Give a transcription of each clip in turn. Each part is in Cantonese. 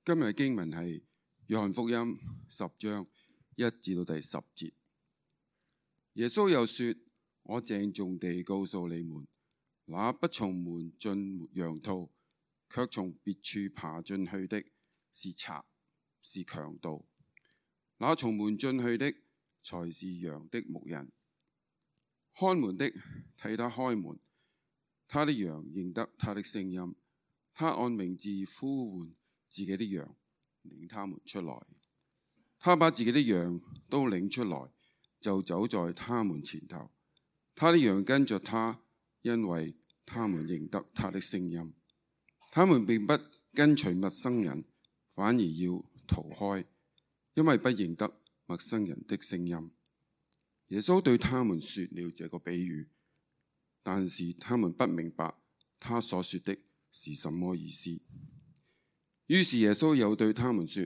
今日嘅經文係約翰福音10章1至到第10節。耶穌又說：我鄭重地告訴你們，那不從門進羊肚，卻從別處爬進去的，是賊，是強盜；那從門進去的，才是羊的牧人。看門的替他開門，他的羊認得他的聲音，他按名字呼喚自己的羊，領他們出來。他把自己的羊都領出來，就走在他們前頭。他的羊跟着他，因為他們認得他的聲音。他們並不跟隨陌生人，反而要逃開，因為不認得陌生人的聲音。耶穌對他們說了這個比喻，但是他們不明白他所說的是什麼意思。於是耶穌又對他們說：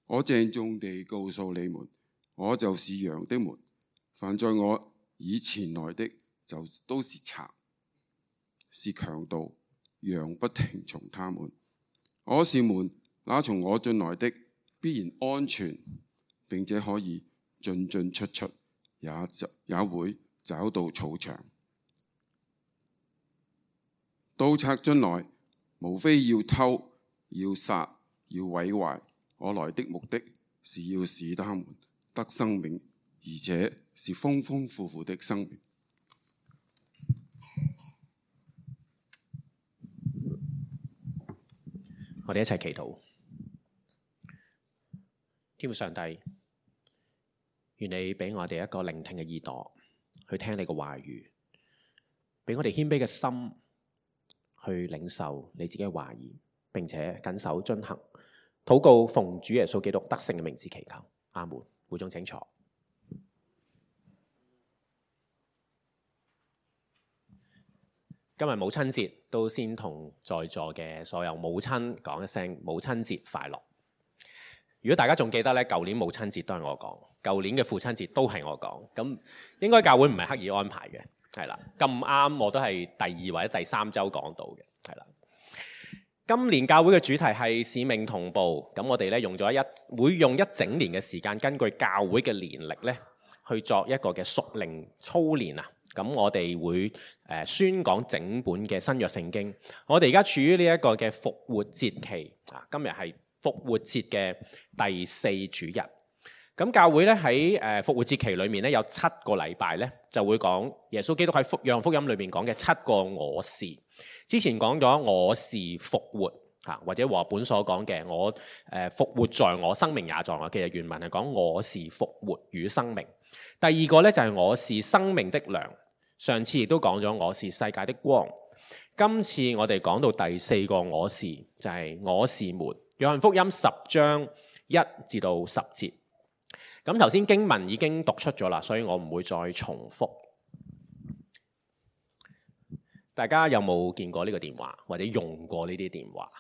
我鄭重地告訴你們，我就是羊的門。凡在我以前來的，就都是賊，是強盜，羊不聽從他們。我是門，那從我進來的必然安全，並且可以進進出出，也會找到草場。盜賊進來，無非要偷、要殺、要毀壞。我來的目的是要使他們得生命，而且是豐豐富富的生命。我哋一齊祈禱。天父上帝，願你俾我哋一個聆聽嘅耳朵，去聽你嘅話語，俾我哋謙卑嘅心去領受你自己嘅話語，並且謹守遵行。禱告奉主耶穌基督得勝嘅名字祈求，阿門。會眾請坐。今日母親節，都先同在座嘅所有母親講一聲母親節快樂。如果大家仲記得咧，舊年母親節都係我講，舊年嘅父親節都係我講，咁應該教會唔係刻意安排嘅，係啦，咁啱我都係第2或者第3週講到嘅，係啦。今年教會嘅主題係使命同步，咁我哋咧會用一整年嘅時間，根據教會嘅年歷咧，去作一個嘅屬靈操練啊。咁我哋會宣講整本嘅新約聖經。我哋而家處於呢一個嘅復活節期啊，今日係復活節嘅第4主日。咁教會咧喺復活節期裏面咧有7個禮拜咧就會講耶穌基督喺約翰福音裏面講嘅7個我是。之前講咗我是復活嚇，或者和本所講嘅我復活在我，生命也在我。其實原文係講我是復活與生命。第二個咧就係我是生命的糧。上次亦都講咗我是世界的光。今次我哋講到第4個我是，就係我是門。約翰福音10章1至到10節。咁頭先經文已經讀出咗啦，所以我唔會再重複。大家有冇見過呢個電話，或者用過呢啲電話？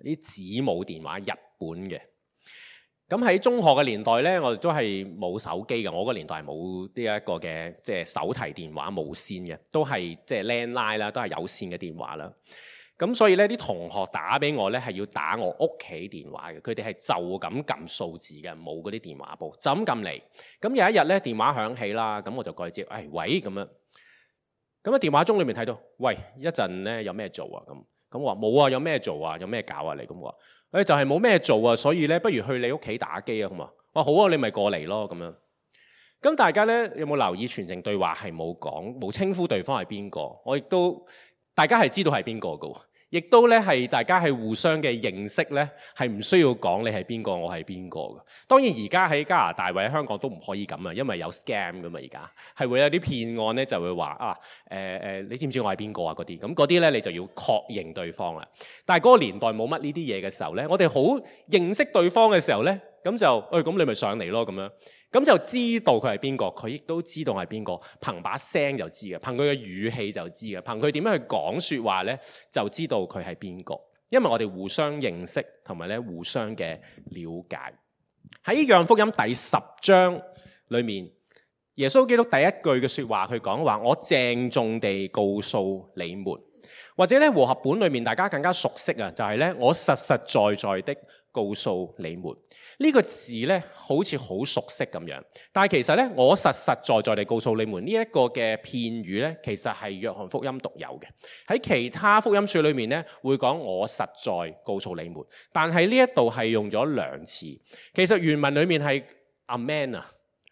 啲子母電話，日本嘅。咁喺中學嘅年代呢，我哋都係冇手機嘅。我個年代係冇呢一個嘅即係手提電話無線嘅，都係即係 landline 啦，都係有線嘅電話啦。咁所以呢啲同學打俾我呢，係要打我屋企電話嘅。佢哋係就咁撳數字嘅，冇嗰啲電話簿，就咁撳嚟。咁有一日呢，電話響起啦，咁我就過去接，喂咁樣。咁喺電話中裏面睇到，喂，一陣呢有咩做啊？咁我話冇啊，有咩做啊？有咩搞啊？你咁話，就係冇咩做啊，所以呢，不如去你屋企打機啊，咁啊，我話好啊，你咪過嚟咯，咁樣。咁大家呢，有冇留意全程對話係冇稱呼對方係邊個？我亦都大家係知道係邊個㗎喎。亦都咧係大家係互相嘅認識咧，係唔需要講你係邊個，我係邊個嘅。當然而家喺加拿大或者香港都唔可以咁啊，因為有 scam 噶嘛，而家係會有啲騙案咧，就會話你知唔知我係邊個啊？嗰啲咁嗰啲咧，你就要確認對方啦。但係嗰個年代冇乜呢啲嘢嘅時候咧，我哋好認識對方嘅時候咧，咁就咁你咪上嚟咯咁樣。咁就知道佢係邊個，佢亦都知道係邊個，憑把聲就知嘅，憑佢嘅語氣就知嘅，憑佢點樣去講說話咧，就知道佢係邊個。因為我哋互相認識同埋咧互相嘅了解。喺約翰福音第10章裏面，耶穌基督第一句嘅說話，佢講話：我鄭重地告訴你們，或者咧和合本裏面大家更加熟悉啊，就係咧我實實在在的告訴你們。呢個字呢，好似好熟悉咁樣，但係其實呢，我實實在在地告訴你們呢一個嘅片語呢，其實係約翰福音獨有嘅。喺其他福音書裏面呢，會講我實在告訴你們，但係呢一度係用咗兩次。其實原文裏面係阿們啊，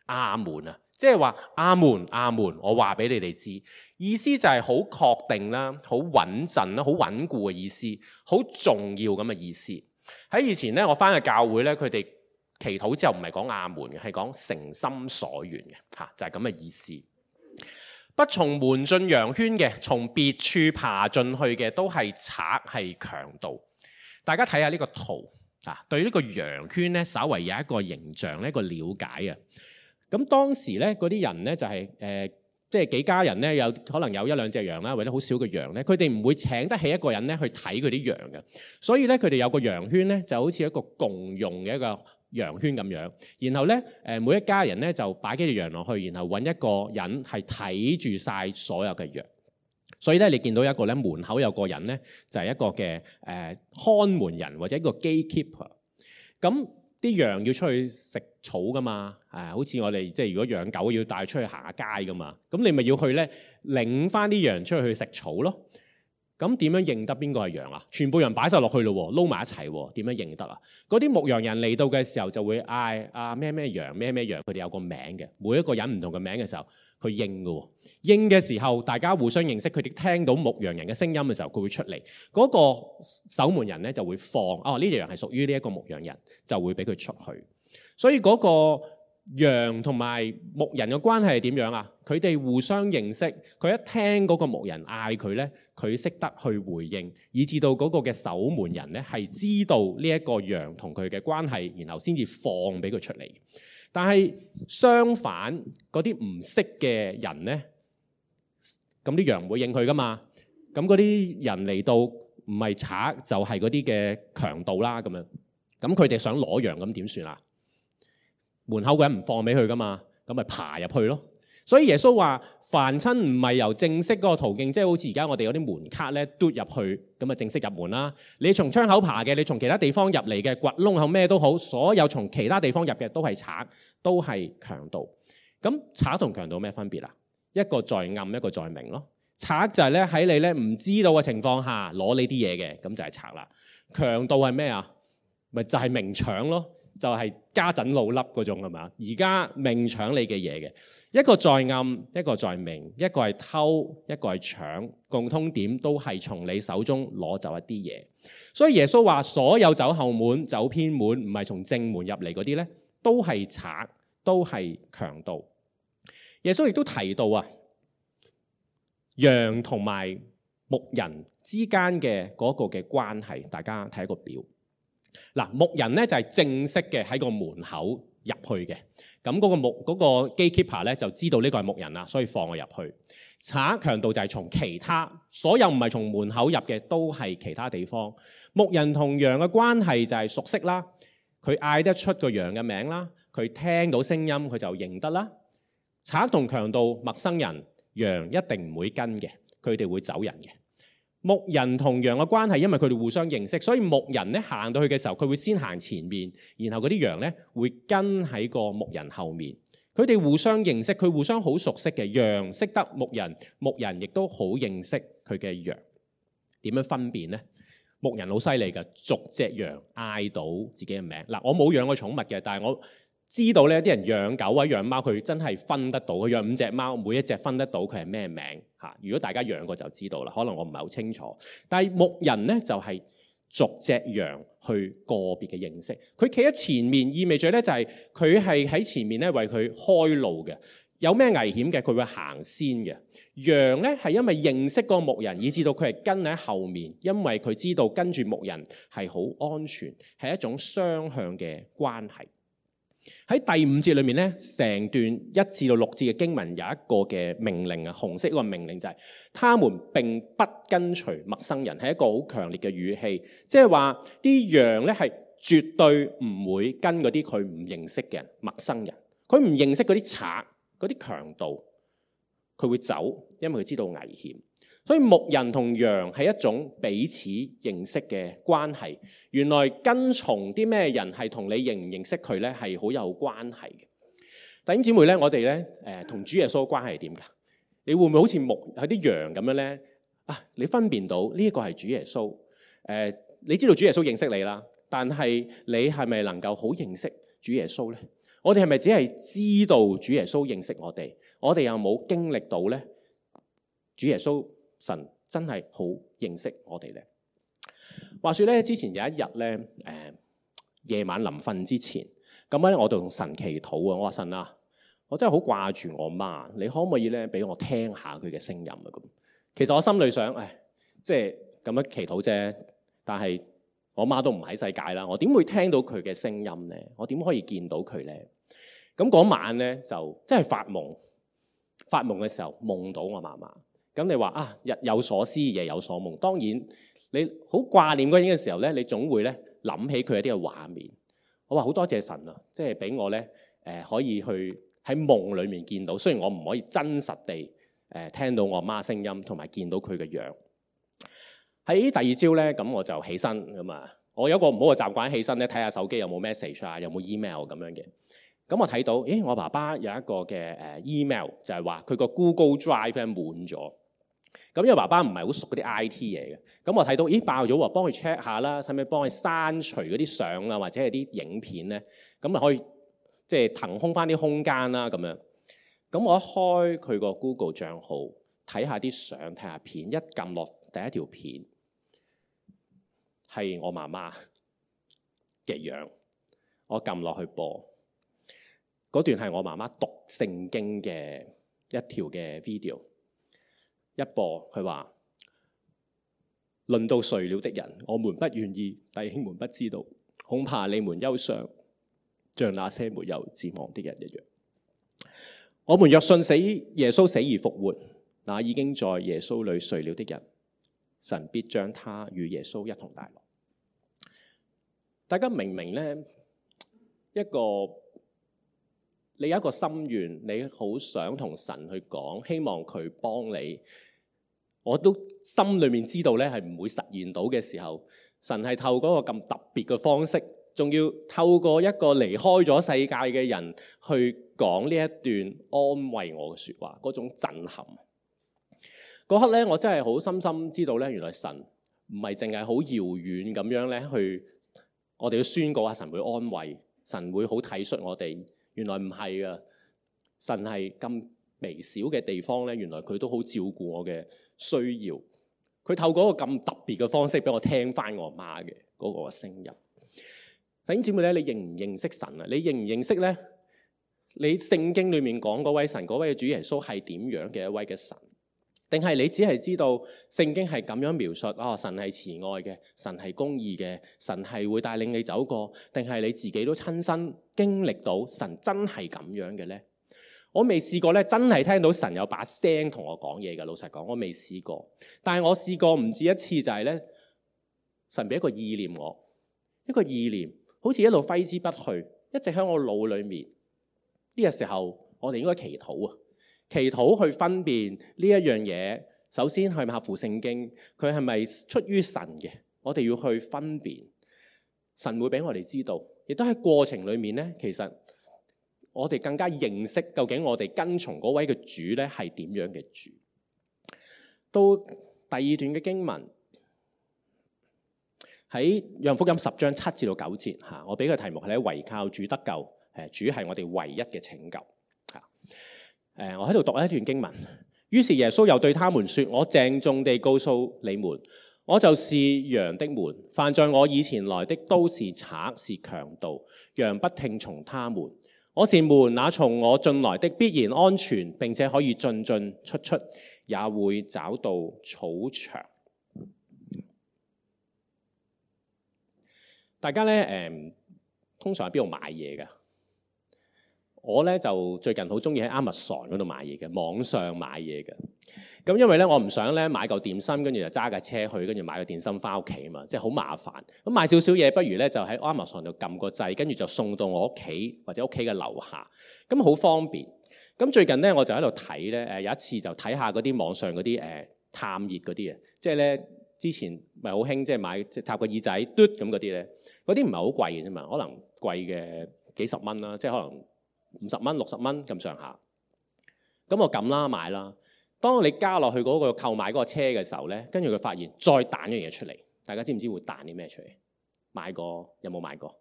阿門啊，即係話阿門阿門，我話俾你哋知，意思就係好確定啦，好穩陣啦，好穩固嘅意思，好重要咁嘅意思。喺以前咧，我翻去教會咧，佢哋祈禱之後唔係講阿門嘅，係講誠心所願嘅嚇，就係咁嘅意思。不從門進羊圈嘅，從別處爬進去嘅，都係賊係強盜。大家睇下呢個圖啊，對呢個羊圈咧，稍為有一個形象，一個了解啊。咁當時咧，嗰啲人咧就係即係幾家人咧，有可能有一兩隻羊啦，或者好少嘅羊咧，佢哋唔會請得起一個人咧去睇佢啲羊嘅，所以咧佢哋有個羊圈咧，就好似一個共用嘅一個羊圈咁樣。然後咧每一家人咧就擺幾隻羊落去，然後揾一個人係睇住晒所有嘅羊。所以咧你見到一個咧門口有個人咧，就係一個嘅看門人或者一個 gatekeeper。咁啲羊要出去食草噶嘛，好似我哋即係如果養狗要帶出去行下街噶嘛，咁你咪要去咧領翻啲羊出去食草咯。咁點樣認得邊個係羊啊？全部羊擺晒落去咯，撈埋一齊，點樣認得啊？嗰啲牧羊人嚟到嘅時候就會嗌啊咩咩羊咩咩羊，佢哋有個名嘅，每一個人唔同嘅名嘅時候，佢應嘅。應嘅時候，大家互相認識，佢哋聽到牧羊人嘅聲音嘅時候，佢會出嚟。嗰個守門人咧就會放呢隻羊係屬於呢一個牧羊人，就會俾佢出去。所以嗰個羊同埋牧人嘅關係係點樣啊？佢哋互相認識，佢一聽嗰個牧人嗌佢咧，佢識得去回應，以至到嗰個嘅守門人咧係知道呢一個羊同佢嘅關係，然後先至放俾佢出嚟。但係相反，嗰啲唔識嘅人咧，咁啲羊唔會應佢噶嘛。咁嗰啲人嚟到唔係賊就係嗰啲嘅強盜啦咁樣。咁佢哋想攞羊咁點算啊？門口嗰人唔放俾佢噶嘛，咁咪爬入去咯。所以耶穌話：凡親唔係由正式嗰個途徑，即係好似而家我哋有啲門卡咧，嘟入去咁啊，正式入門啦。你從窗口爬嘅，你從其他地方入嚟嘅，掘窿口咩都好，所有從其他地方入嘅都係賊，都係強盜。咁賊同強盜咩分別啊？一個在暗，一個在明咯。賊就係咧喺你咧唔知道嘅情況下攞你啲嘢嘅，咁就係賊啦。強盜係咩啊？咪就係明搶咯。就係家陣老笠嗰種係嘛？而家明搶你嘅嘢嘅，一個在暗，一個在明，一個係偷，一個係搶，共通點都係從你手中攞走一啲嘢。所以耶穌話：所有走後門、走偏門，唔係從正門入嚟嗰啲咧，都係賊，都係強盜。耶穌亦都提到啊，羊同埋牧人之間嘅嗰個嘅關係，大家睇個表。嗱，牧人咧就係正式嘅喺個門口入去嘅，咁嗰個 gatekeeper 咧就知道呢個係牧人啦，所以放我入去。賊強盜就係從其他所有唔係從門口入嘅，都係其他地方。牧人同羊嘅關係就係熟悉啦，佢嗌得出個羊嘅名啦，佢聽到聲音佢就認得啦。賊同強盜陌生人，羊一定唔會跟嘅，佢哋會走人嘅。牧人同羊嘅關係，因為佢哋互相認識，所以牧人咧行到去嘅時候，佢會先行前面，然後嗰啲羊咧會跟喺個牧人後面。佢哋互相認識，佢互相好熟悉嘅。羊識得牧人，牧人亦都好認識佢嘅羊。點樣分辨呢？牧人好犀利㗎，逐隻羊嗌到自己嘅名。嗱，我冇養過寵物嘅，但係我知道咧，啲人養狗或者養貓，佢真係分得到。佢養5隻貓，每一隻分得到佢係咩名嚇。如果大家養過就知道啦。可能我唔係好清楚，但係牧人咧就係逐隻羊去個別嘅認識。佢企喺前面，意味著咧就係佢係喺前面咧為佢開路嘅。有咩危險嘅，佢會行先嘅。羊咧係因為認識個牧人，以至到佢係跟喺後面，因為佢知道跟住牧人係好安全，係一種雙向嘅關係。喺第5節裏面咧，成段1至到6節嘅經文有一個嘅命令啊，紅色嗰個命令就係、是：他們並不跟隨陌生人，係一個好強烈嘅語氣，即係話啲羊咧係絕對唔會跟嗰啲佢唔認識嘅人、陌生人，佢唔認識嗰啲賊、嗰啲強盜，佢會走，因為佢知道危險。所以牧人同羊係一種彼此認識嘅關係。原來跟從啲咩人係同你認唔認識佢咧係好有關係嘅。弟兄姊妹咧，我哋咧同主耶穌嘅關係係點㗎？你會唔會好似係啲羊咁樣咧？你分辨到呢一個係主耶穌？你知道主耶穌認識你啦，但係你係咪能夠好認識主耶穌咧？我哋係咪只係知道主耶穌認識我哋？我哋有冇經歷到咧？主耶穌神真係好認識我哋咧。話說咧，之前有一日咧，夜晚臨瞓之前，咁咧我就同神祈禱啊。我話神啊，我真係好掛住我媽，你可唔可以咧俾我聽下佢嘅聲音啊？咁其實我心裏想，即係咁樣祈禱啫。但係我媽都唔喺世界啦，我點會聽到佢嘅聲音咧？我點可以見到佢咧？咁嗰晚咧就真係發夢嘅時候夢到我媽媽。咁你話日有所思夜有所夢，當然你好掛念嗰人嘅時候咧，你總會咧諗起佢一啲嘅畫面。我話好多謝神啊，即係俾我咧可以去喺夢裡面見到，雖然我唔可以真實地聽到我媽聲音同埋見到佢嘅樣。喺第二朝咧，咁我就起身咁啊。我有個唔好嘅習慣，起身咧睇下手機有冇 message 啊，有冇 email 咁樣嘅。咁我睇到，我爸爸有一個嘅email 就係話佢個 Google Drive 咧滿咗。咁因為爸爸唔係好熟嗰啲 IT 嘢嘅，咁我睇到爆咗喎，幫佢 check 下啦，使唔使幫佢刪除嗰啲相啊，或者係啲影片咧？咁咪可以即係騰空翻啲空間啦咁樣。咁我一開佢個 Google 帳號，睇下啲相，睇下片，一撳落第一條片係我媽媽嘅樣，我撳落去播，嗰段係我媽媽讀聖經嘅一條嘅 video。一播佢話：論到睡了的人，我們不願意，弟兄們不知道，恐怕你們憂傷，像那些沒有指望的人一樣。我們若信耶穌死而復活，那已經在耶穌裏睡了的人，神必將他與耶穌一同帶來。大家明唔明呢？你有一個心願，你好想同神去講，希望佢幫你。我都心裏面知道咧，係唔會實現到嘅時候，神係透過一個咁特別嘅方式，仲要透過一個離開咗世界嘅人去講呢一段安慰我嘅説話，嗰種震撼。嗰刻咧，我真係好深深知道咧，原來神唔係淨係好遙遠咁樣咧去，我哋要宣告啊，神會安慰，神會好體恤我哋。原來唔係啊，神係咁微小嘅地方咧，原來佢都好照顧我嘅需要。佢透過一個咁特別嘅方式俾我聽翻我媽嘅嗰個聲音。弟兄姊妹咧，你認唔認識神啊？你認唔認識咧？你聖經裏面講嗰位神，嗰位主耶穌係點樣嘅一位嘅神？定係你只係知道聖經係咁樣描述神係慈愛嘅，神係公義嘅，神係會帶領你走過？定係你自己都親身經歷到神真係咁樣嘅咧？我未試過咧，真係聽到神有把聲同我講嘢嘅。老實講，我未試過。但係我試過唔止一次，就係咧，神俾一個意念我，一個意念好似一路揮之不去，一直喺我腦裏面。呢個時候，我哋應該祈禱啊！祈禱去分辨呢一樣嘢，首先係咪合乎聖經？佢係咪出於神嘅？我哋要去分辨。神會俾我哋知道，亦都喺過程裏面咧，其實我哋更加認識究竟我哋跟從嗰位嘅主咧係點樣嘅主。到第二段嘅經文喺約翰福音10章7至到9節嚇，我俾個題目係咧，唯靠主得救，主係我哋唯一嘅拯救。我喺度讀一段經文。於是耶穌又對他們說：我鄭重地告訴你們，我就是羊的門。凡在我以前來的都是賊，是強盜，羊不聽從他們。我是門，那從我進來的必然安全，並且可以進進出出，也會找到草場。大家咧通常喺邊度買嘢㗎？我咧就最近好中意喺 Amazon 嗰度買嘢嘅，網上買嘢嘅。咁因為咧我唔想咧買嚿點心，跟住就揸架車去，跟住買個點心翻屋企啊嘛，即係好麻煩。咁買少少嘢，不如咧就喺 Amazon 度撳個掣，跟住就送到我屋企或者屋企嘅樓下，咁好方便。咁最近咧我就喺度睇咧，有一次就睇下嗰啲網上嗰啲探熱嗰啲啊，即係咧之前咪好興，即係買即係插個耳仔嘟咁嗰啲咧，嗰啲唔係好貴嘅啫嘛，可能貴嘅幾十蚊啦，即係可能50蚊、60蚊咁上下。咁我撳啦買啦，當你加落去嗰個購買嗰個車嘅時候咧，跟住佢發現再彈一樣嘢出嚟，大家知唔知會彈啲咩出嚟？買過有冇買過？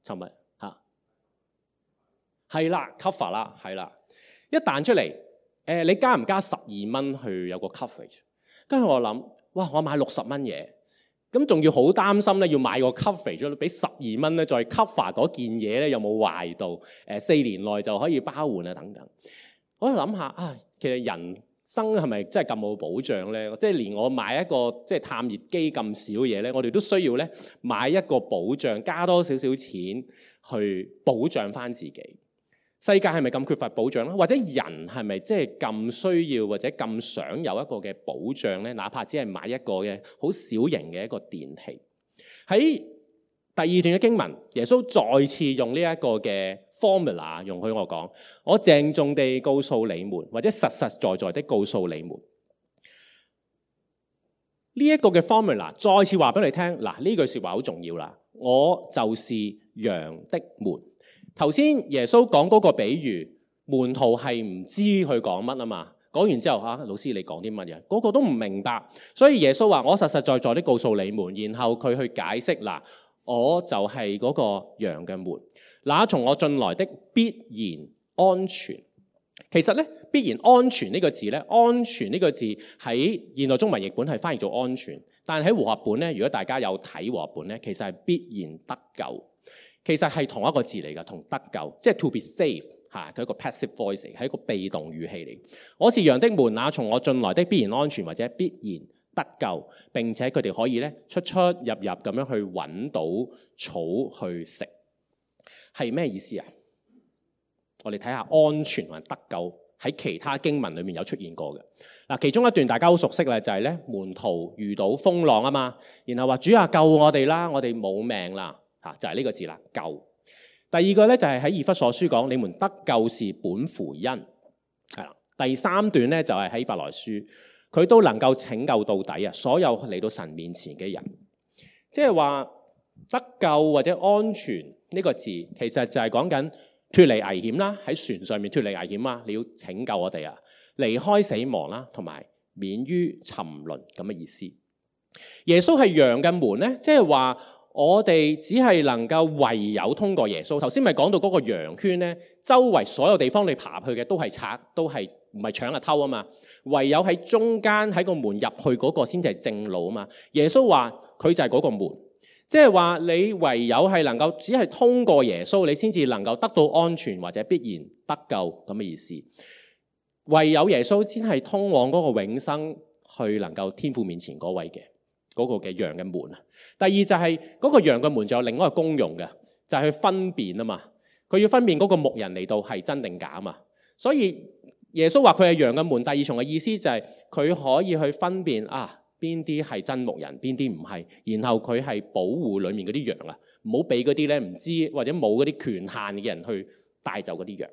尋日嚇係啦 ，cover 啦，係啦，一彈出嚟，你加唔加12蚊去有個 coverage？ 跟住我諗，哇！我買60蚊嘢，咁仲要好擔心咧，要買個 coverage 俾12蚊咧，再 cover 嗰件嘢咧有冇壞到？4年內就可以包換啊等等。我諗下啊，其實人生係咪真係咁冇保障咧？即係連我買一個即係探熱機咁少嘢咧，我哋都需要咧買一個保障，加多少少錢去保障翻自己。世界係咪咁缺乏保障咧？或者人係咪即係咁需要或者咁想有一個嘅保障咧？哪怕只係買一個嘅好小型嘅一個電器。喺第2段嘅經文，耶穌再次用呢一個嘅 formula 容許我講，我鄭重地告訴你們，或者實實在在的告訴你們，呢一個嘅 formula 再次話俾你聽。嗱，呢句説話好重要啦，我就是羊的門。頭先耶穌講嗰個比喻，門徒係唔知佢講乜啊嘛。講完之後老師你講啲乜嘢？嗰個都唔明白。所以耶穌話：我實實在在的告訴你們。然後佢去解釋嗱，我就係嗰個羊嘅門。那從我進來的必然安全。其實咧，必然安全呢個字咧，安全呢個字喺現代中文譯本係翻譯做安全，但係喺和合本咧，如果大家有睇和合本咧，其實係必然得救。其實係同一個字嚟㗎，同得救，即係 to be saved 嚇，佢一個 passive voice 係一個被動語氣嚟。我是羊的門，那從我進來的必然安全或者必然得救，並且佢哋可以咧出出入入咁樣去揾到草去食，係咩意思啊？我哋睇下安全同埋得救喺其他經文裏面有出現過嘅嗱，其中一段大家好熟悉啦，就係咧門徒遇到風浪啊嘛，然後話主啊救我哋啦，我哋冇命啦。就係呢個字啦，救。第二個咧就係喺以弗所書講，你們得救是本乎恩，係啦。第3段咧就係喺希伯來書，佢都能夠拯救到底啊！所有嚟到神面前嘅人，即係話得救或者安全呢個字，其實就係講緊脫離危險啦，喺船上面脫離危險啊！你要拯救我哋啊，離開死亡啦，同埋免於沉淪咁嘅意思。耶穌係羊嘅門咧，即係話。我哋只係能夠唯有通過耶穌。頭先咪講到嗰個羊圈咧，周圍所有地方你爬去嘅都係賊，都係唔係搶啊偷啊嘛。唯有喺中間喺個門入去嗰個先至係正路啊嘛。耶穌話佢就係嗰個門，即係話你唯有係能夠只係通過耶穌，你先至能夠得到安全或者必然得救咁嘅意思。唯有耶穌先係通往嗰個永生，去能夠天父面前嗰位嘅。嗰個嘅羊嘅門啊，第二就係嗰個羊嘅門，仲有另外一個功用嘅，就係去分辨啊嘛。佢要分辨嗰個牧人嚟到係真定假啊嘛。所以耶穌話佢係羊嘅門，第二重嘅意思就係佢可以去分辨邊啲係真牧人，邊啲唔係，然後佢係保護裡面嗰啲羊啊，唔好俾嗰啲咧唔知或者冇嗰啲權限嘅人去帶走嗰啲羊。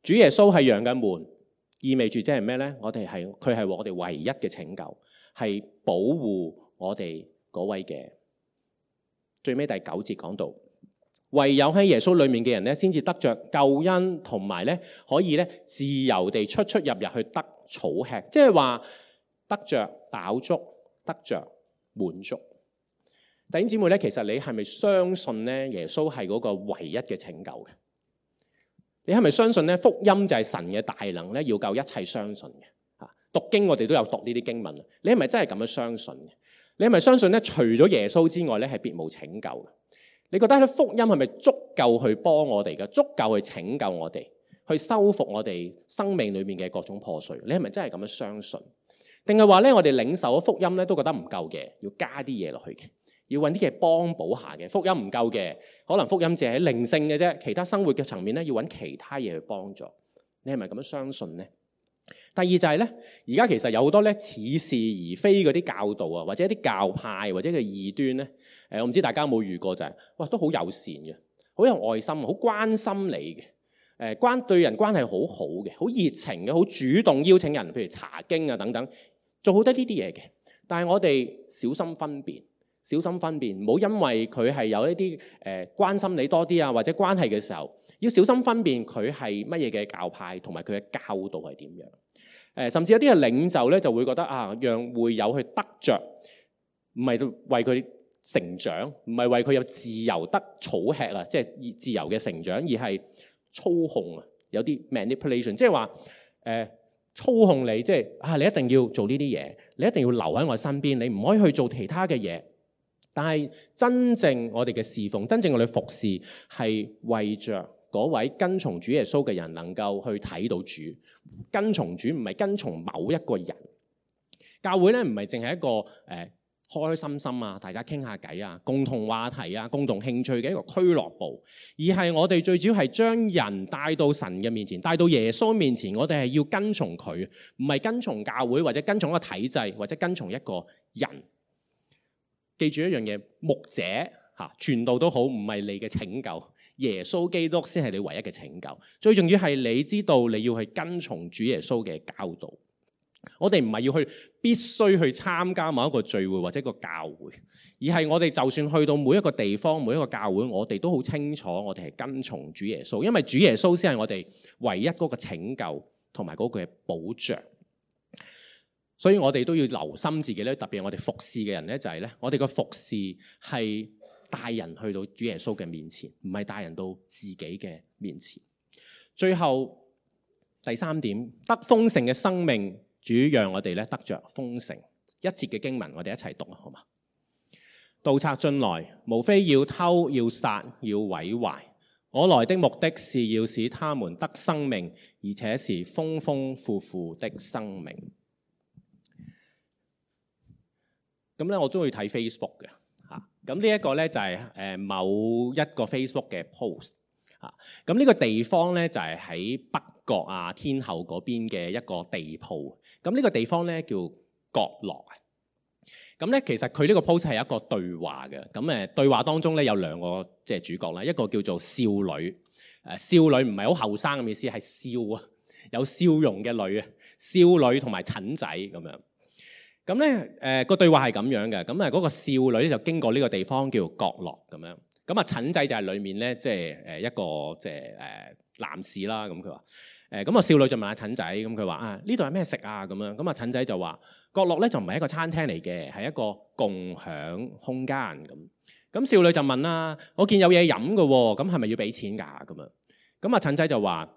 主耶穌係羊嘅門，意味住即係咩咧？佢係我哋唯一嘅拯救。係保護我哋嗰位嘅。最尾第9節講到，唯有喺耶穌裏面嘅人咧，先至得着救恩，同埋咧可以咧自由地出入入去得草吃，即係話得着飽足，得着滿足。弟兄姊妹咧，其實你係咪相信咧耶穌係嗰個唯一嘅拯救嘅？你係咪相信咧福音就係神嘅大能咧，要救一切相信嘅？讀經我哋都有讀呢啲經文，你係咪真係咁樣相信嘅？你係咪相信咧除咗耶穌之外咧係別無拯救嘅？你覺得咧福音係咪足夠去幫我哋嘅？足夠去拯救我哋，去修復我哋生命裏面嘅各種破碎？你係咪真係咁樣相信？定係話咧我哋領受咗福音咧都覺得唔夠嘅，要加啲嘢落去嘅，要揾啲嘢幫補下嘅？福音唔夠嘅，可能福音只係喺靈性嘅啫，其他生活嘅層面咧要揾其他嘢去幫助。你係咪咁樣相信咧？第二就係咧，而家其實有好多咧似是而非嗰啲教導啊，或者一啲教派或者嘅異端咧，我唔知大家有冇遇過就係，哇都好友善嘅，好有愛心，好關心你嘅，對人關係好好嘅，好熱情嘅，好主動邀請人，譬如查經啊等等，做好多呢啲嘢嘅。但係我哋小心分辨，唔好因為佢係有一啲關心你多啲啊，或者關係嘅時候，要小心分辨佢係乜嘢嘅教派，同埋佢嘅教導係點樣。甚至有啲嘅領袖咧就會覺得啊，讓會友去得着，唔係為佢成長，唔係為佢有自由得草吃啊，即係自由嘅成長，而係操控啊，有啲 manipulation， 即係話操控你，即係你一定要做呢啲嘢，你一定要留喺我身邊，你唔可以去做其他嘅嘢。但係真正我哋嘅侍奉，真正我哋服侍係為着嗰位跟從主耶穌嘅人能夠去睇到主。跟從主唔係跟從某一個人。教會咧唔係淨係一個開開心心啊，大家傾下偈啊，共同話題啊，共同興趣嘅一個俱樂部，而係我哋最主要係將人帶到神嘅面前，帶到耶穌面前。我哋係要跟從佢，唔係跟從教會或者跟從一個體制或者跟從一個人。記住一樣嘢，牧者傳道都好，唔係你嘅拯救，耶穌基督先係你唯一嘅拯救。最重要係你知道你要去跟從主耶穌嘅教導。我哋唔係要去必須去參加某一個聚會或者一個教會，而係我哋就算去到每一個地方每一個教會，我哋都好清楚我哋係跟從主耶穌，因為主耶穌先係我哋唯一嗰個拯救同埋嗰個嘅保障。所以我哋都要留心自己咧，特別係我哋服侍嘅人咧，就係咧，我哋個服侍係帶人去到主耶穌嘅面前，唔係帶人到自己嘅面前。最後第三點，得豐盛嘅生命，主讓我哋咧得着豐盛。一節嘅經文，我哋一齊讀啊，好嘛？盜賊進來，無非要偷、要殺、要毀壞。我來的目的是要使他們得生命，而且是豐豐富富的生命。咁咧，我中意睇 Facebook 嘅嚇。咁呢一個咧就係某一個 Facebook 嘅 post 嚇。咁呢個地方咧就係喺北角啊天后嗰邊嘅一個地鋪。咁呢個地方咧叫角落啊。咁咧其實佢呢個 post 係一個對話嘅。咁對話當中咧有兩個即係主角啦，一個叫做少女。少女唔係好後生嘅意思，係笑啊，有笑容嘅女啊，少女同埋陳仔咁樣。咁咧個對話係咁樣嘅，咁嗰個少女咧就經過呢個地方叫角落咁樣，咁陳仔就係裡面咧即係一個即係男士啦，咁佢話咁少女就問下陳仔，咁佢話呢度係咩食啊咁樣，咁陳仔就話角落咧就唔係一個餐廳嚟嘅，係一個共享空間咁。咁少女就問啦，我見有嘢飲嘅喎，咁係咪要俾錢㗎咁樣？咁陳仔就話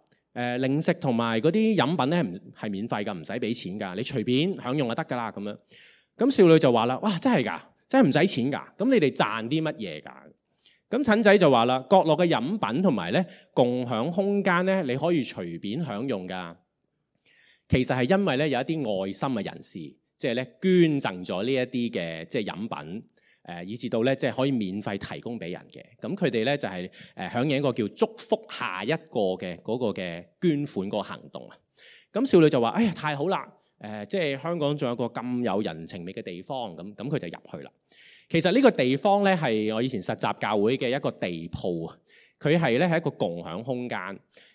零食同埋嗰啲飲品咧係免費㗎，唔使俾錢㗎，你隨便享用就得㗎啦咁樣。咁少女就話啦，哇，真係㗎，真係唔使錢㗎，咁你哋賺啲乜嘢㗎？咁陳仔就話啦，角落嘅飲品同埋咧共享空間咧，你可以隨便享用㗎。其實係因為咧有一啲愛心嘅人士，即係咧捐贈咗呢一啲嘅即係飲品。以至到咧，即係可以免費提供俾人嘅。咁佢哋咧就係響應一個叫祝福下一個嘅嗰個嘅捐款嗰個行動啊。咁少女就話：哎呀，太好啦！即係香港仲有個咁有人情味嘅地方。咁佢就入去啦。其實呢個地方咧係我以前實習教會嘅一個地鋪啊。佢係咧係一個共享空間。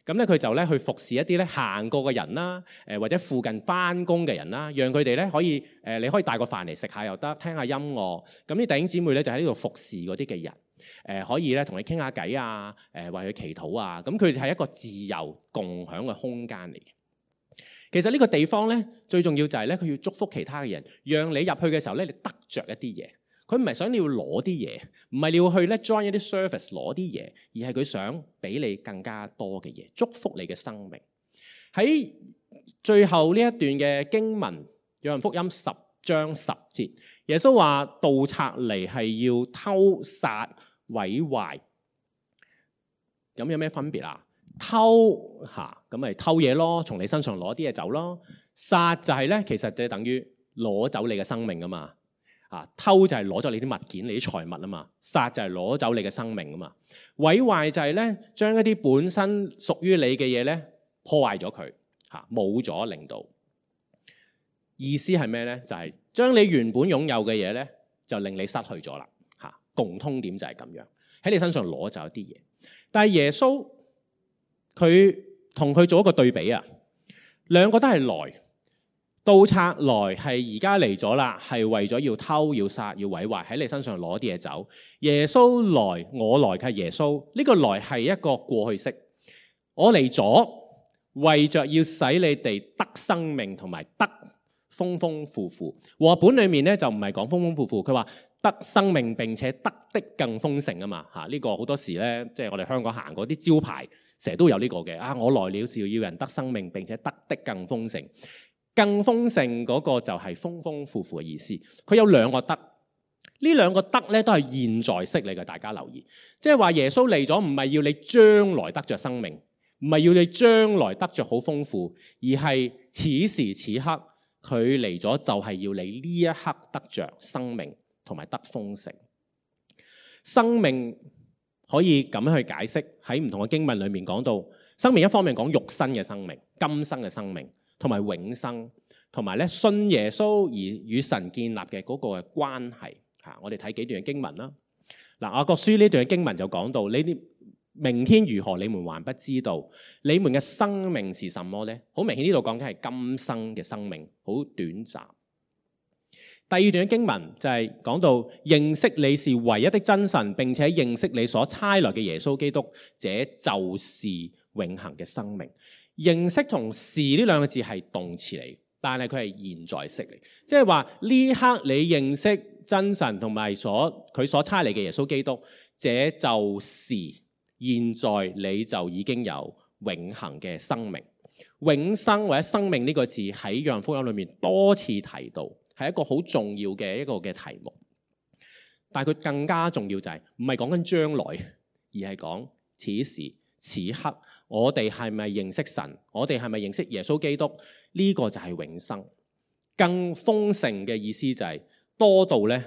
咁咧佢就咧去服侍一啲咧行過嘅人啦，或者附近返工嘅人啦，讓佢哋咧可以你可以帶個飯嚟食下又得，聽下音樂。咁啲弟兄姊妹咧就喺呢度服侍嗰啲嘅人，可以咧同你傾下偈啊，為佢祈禱啊。咁佢哋係一個自由共享嘅空間嚟嘅。其實呢個地方咧最重要就係咧佢要祝福其他嘅人，讓你入去嘅時候咧你得着一啲嘢。佢唔係想你要攞啲嘢，唔係你要去咧 join 一啲 service 攞啲嘢，而係佢想俾你更加多嘅嘢，祝福你嘅生命。喺最後呢一段嘅經文，約翰福音10章10節，耶穌話盜賊嚟係要偷殺毀壞。咁有咩分別啊？偷咁咪偷嘢咯，從你身上攞啲嘢走咯。殺就係咧，其實就等於攞走你嘅生命啊嘛。偷就係攞咗你啲物件、你啲財物啊嘛，殺就係攞走你嘅生命啊嘛，毀壞就係咧將一啲本身屬於你嘅嘢咧破壞咗佢，冇咗令到。意思係咩咧？就係將你原本擁有嘅嘢咧，就令你失去咗啦。共通點就係咁樣，喺你身上攞走一啲嘢。但係耶穌佢同佢做一個對比啊。兩個都係來，盜賊來係而家嚟咗啦，係為咗要偷、要殺、要毀壞，喺你身上攞啲嘢走。耶穌來，我來係耶穌，呢個來係一個過去式。我嚟咗，為着要使你哋得生命同埋得豐豐富富。和本裏面咧就唔係講豐豐富富，佢話得生命並且得的更豐盛啊嘛嚇。呢個好多時咧，即係我哋香港行嗰啲招牌，成日都有呢個嘅啊。我來了是要人得生命並且得的更豐盛。更豐盛嗰個就係豐豐富富嘅意思。佢有兩個得，呢兩個得咧都係現在式嚟嘅，大家留意。即係話耶穌嚟咗，唔係要你將來得着生命，唔係要你將來得着好豐富，而係此時此刻佢嚟咗就係要你呢一刻得着生命同埋得豐盛。生命可以咁樣去解釋，喺唔同嘅經文裏面講到，生命一方面講肉身嘅生命、今生嘅生命，同埋永生，同埋咧信耶穌而與神建立嘅嗰個嘅關係嚇。我哋睇幾段嘅經文啦。嗱，雅各書呢段嘅經文就講到，呢啲明天如何，你們還不知道。你們嘅生命是什麼呢？好明顯呢度講緊係今生嘅生命，好短暫。第二段嘅經文就係講到認識你是唯一的真神，並且認識你所差來嘅耶穌基督，這就是永恆嘅生命。認識同是呢兩個字係動詞嚟，但係佢係現在式嚟，即係話呢刻你認識真神同埋佢所差嚟嘅耶穌基督，這就是現在你就已經有永恆嘅生命。永生或者生命呢個字喺約翰福音裏面多次提到，係一個好重要嘅一個嘅題目。但係佢更加重要就係唔係講緊將來，而係講此時此刻我哋係咪認識神，我哋係咪認識耶穌基督，呢個就係永生。更豐盛嘅意思就係多到咧，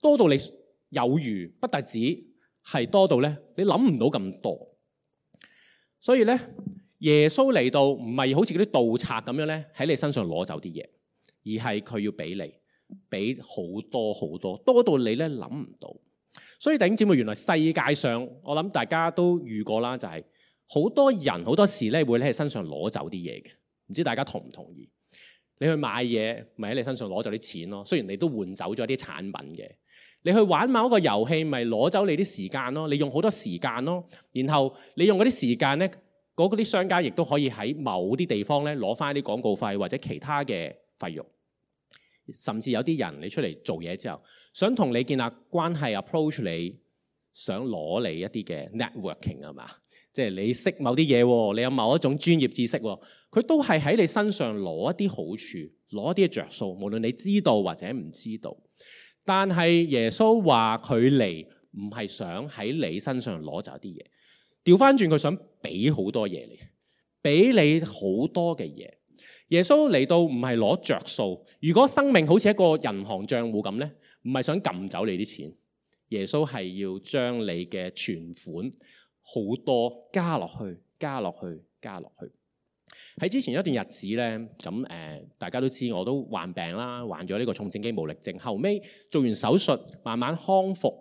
多到你有餘，不特止係多到咧，你諗唔到咁多。所以咧，耶穌嚟到唔係好似嗰啲盜賊咁樣咧，喺你身上攞走啲嘢，而係佢要俾你，俾好多好多，多到你咧諗唔到。所以弟兄姊妹，原來世界上我諗大家都遇過啦，就係好多人好多時咧會喺你身上攞走啲嘢嘅。唔知大家同唔同意？你去買嘢，咪喺你身上攞走啲錢咯。雖然你都換走咗啲產品嘅。你去玩某一個遊戲，咪攞走你啲時間咯。你用好多時間咯，然後你用嗰啲時間咧，嗰啲商家亦都可以喺某啲地方咧攞翻啲廣告費或者其他嘅費用。甚至有啲人你出嚟做嘢之後，想同你建立關係 approach 你，想攞你一啲嘅 networking 係嘛？即係你識某啲嘢，你有某一種專業知識，佢都係喺你身上攞一啲好處，攞一啲嘅着數，無論你知道或者唔知道。但係耶穌話佢嚟唔係想喺你身上攞走啲嘢，調翻轉佢想俾好多嘢你，俾你好多嘅嘢。耶穌嚟到唔係攞着數。如果生命好似一個銀行賬戶咁呢，唔係想撳走你啲錢，耶穌係要將你嘅存款好多加落去，加落去，加落去。喺之前一段日子呢，咁大家都知我都患病啦，患咗呢個重症肌無力症，後尾做完手術慢慢康復。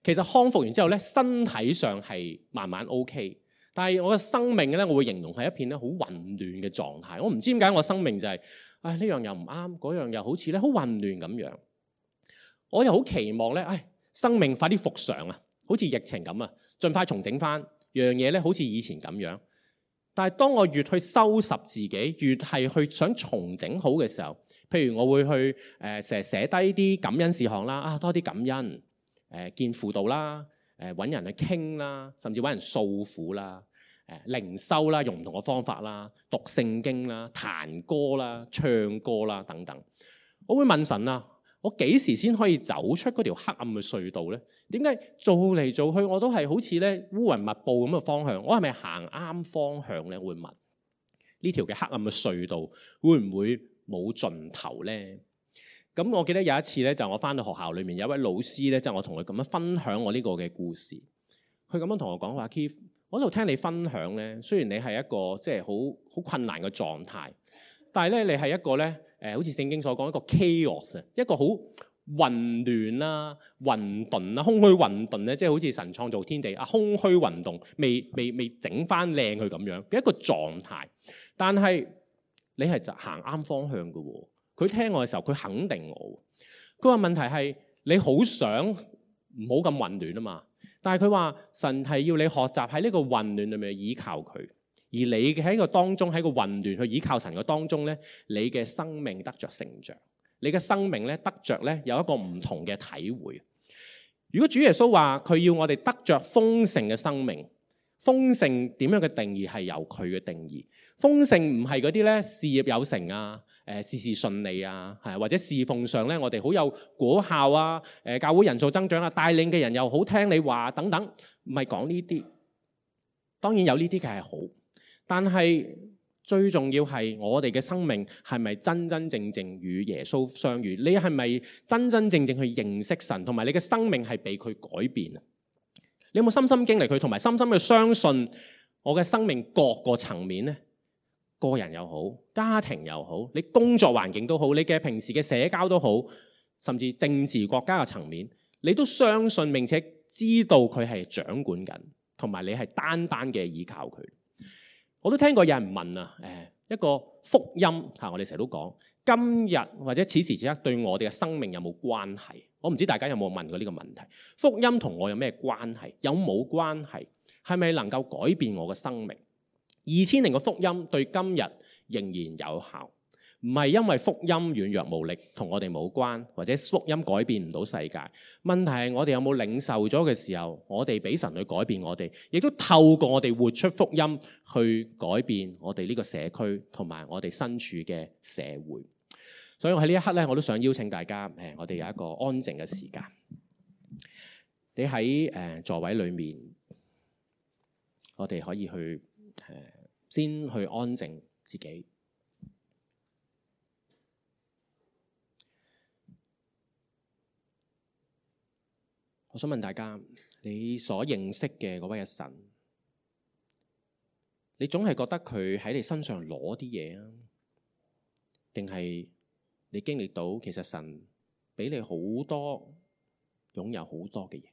其實康復完之後呢，身體上係慢慢 OK。但係我嘅生命咧，我會形容係一片咧好混亂嘅狀態。我唔知點解我生命就係，呢樣又唔啱，嗰樣又好似咧好混亂咁樣。我又好期望咧，生命快啲復常啊，好似疫情咁啊，盡快重整翻，樣嘢咧好似以前咁樣。但係當我越去收拾自己，越係去想重整好嘅時候，譬如我會去成日寫低啲感恩事項啦，多啲感恩，見輔導啦。揾人去傾啦，甚至揾人訴苦啦，靈修啦，用唔同嘅方法啦，讀聖經啦，彈歌啦，唱歌啦等等。我會問神啊，我幾時先可以走出嗰條黑暗嘅隧道呢？點解做嚟做去我都係好似咧烏雲密布咁嘅方向？我係咪行啱方向呢？我會問呢條嘅黑暗嘅隧道會唔會冇盡頭呢？咁我記得有一次咧，就我翻到學校裏面有一位老師咧，就我同佢咁樣分享我呢個嘅故事。佢咁樣同我講話 Keith， 我喺度聽你分享咧，雖然你係一個即係好困難嘅狀態，但係咧你係一個咧好似聖經所講一個 chaos，一個好混亂啦、混沌啦、空虛混沌咧，即係好似神創造天地啊，空虛混沌，未整翻靚佢咁樣嘅一個狀態。但係你係就行啱方向嘅喎。佢聽我嘅時候，佢肯定我。佢話問題係你好想唔好咁混亂啊嘛。但係佢話神係要你學習喺呢個混亂裏面依靠佢，而你喺個當中喺個混亂去依靠神嘅當中咧，你嘅生命得着成長。你嘅生命咧得着咧有一個唔同嘅體會。如果主耶穌話佢要我哋得着豐盛嘅生命，豐盛點樣嘅定義係由佢嘅定義。豐盛唔係嗰啲咧事業有成啊，事事順利啊，或者侍奉上咧我哋好有果效啊，教會人數增長啊，帶領嘅人又好聽你話等等，唔係講呢啲。當然有呢啲嘅係好，但係最重要係我哋嘅生命係咪真真正正與耶穌相遇？你係咪真真正正去認識神，同埋你嘅生命係被佢改變啊？你有冇深深經歷佢，同埋深深去相信我嘅生命各個層面呢？個人又好，家庭又好，你工作環境都好，你嘅平時嘅社交都好，甚至政治國家嘅層面，你都相信並且知道佢係掌管緊，同埋你係單單嘅依靠佢。我都聽過有人問啊，一個福音嚇，我哋成日都講今日或者此時此刻對我哋嘅生命有冇關係？我唔知大家有冇問過呢個問題。福音同我有咩關係？有冇關係？係咪能夠改變我嘅生命？2000年嘅福音對今日仍然有效，唔係因為福音軟弱無力同我哋冇關，或者福音改變唔到世界。問題係我哋有冇領受咗嘅時候，我哋俾神去改變我哋，亦都透過我哋活出福音去改變我哋呢個社區同埋我哋身處嘅社會。所以我喺呢一刻咧，我都想邀請大家，我哋有一個安靜嘅時間。你喺座位裏面，我哋可以去先去安靜自己。我想問大家，你所認識嘅嗰位嘅神，你總係覺得佢喺你身上攞啲嘢啊？定係你經歷到其實神俾你好多，擁有好多嘅嘢？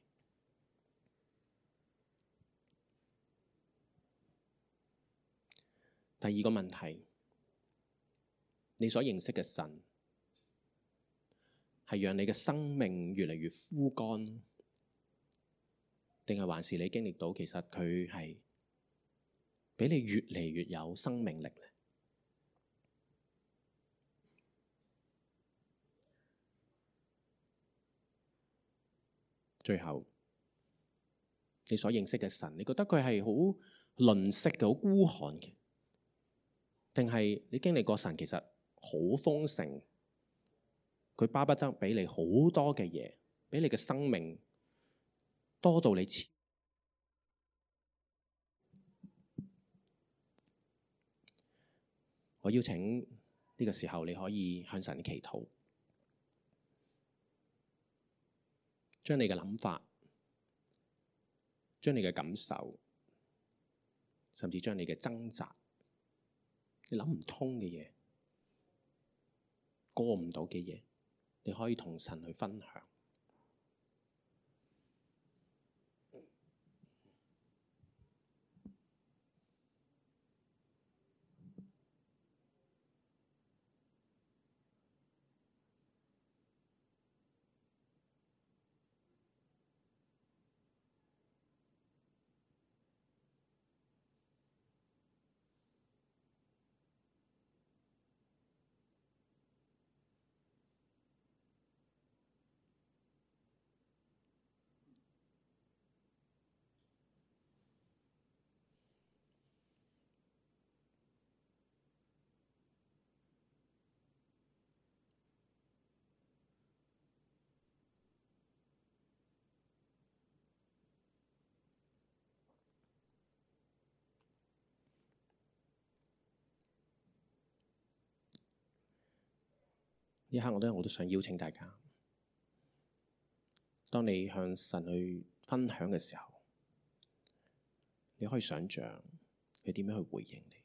第二個問題，你所認識嘅神係讓你嘅生命越嚟越枯乾，定係還是你經歷到其實佢係俾你越嚟越有生命力呢？最後，你所認識嘅神，你覺得佢係好吝嗇嘅、好孤寒嘅，定係你經歷過神其實好豐盛，佢巴不得俾你好多嘅嘢，俾你嘅生命多到你似。我邀請呢個時候你可以向神祈禱，將你嘅諗法，將你嘅感受，甚至將你嘅掙扎，你諗唔通嘅嘢，過唔到嘅嘢，你可以同神去分享。呢一刻我都想邀請大家，當你向神去分享嘅時候，你可以想像佢點樣去回應你。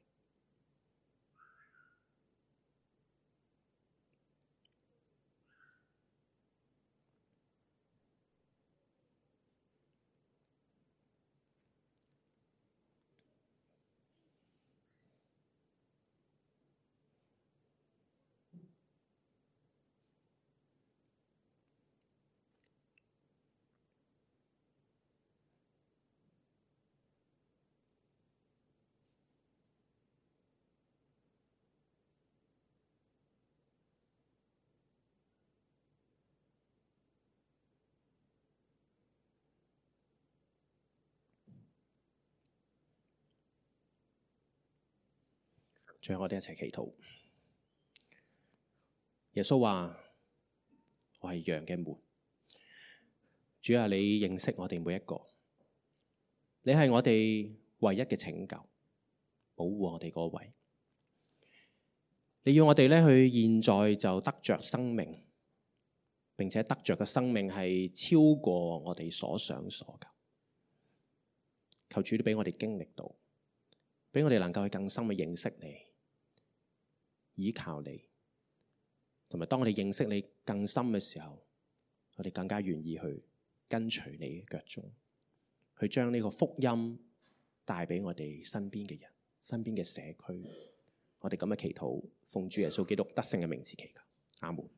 最後我哋一齊祈禱。耶穌話：我係羊嘅門。主啊，你認識我哋每一個，你係我哋唯一嘅拯救，保護我哋嗰位。你要我哋咧去現在就得着生命，並且得着嘅生命係超過我哋所想所求。求主都俾我哋經歷到，俾我哋能夠去更深嘅認識你，依靠你，同埋當我哋認識你更深嘅時候，我哋更加願意去跟隨你嘅腳蹤，去將呢個福音帶俾我哋身邊嘅人、身邊嘅社區。我哋咁嘅祈禱，奉主耶穌基督得勝嘅名字祈求，阿門。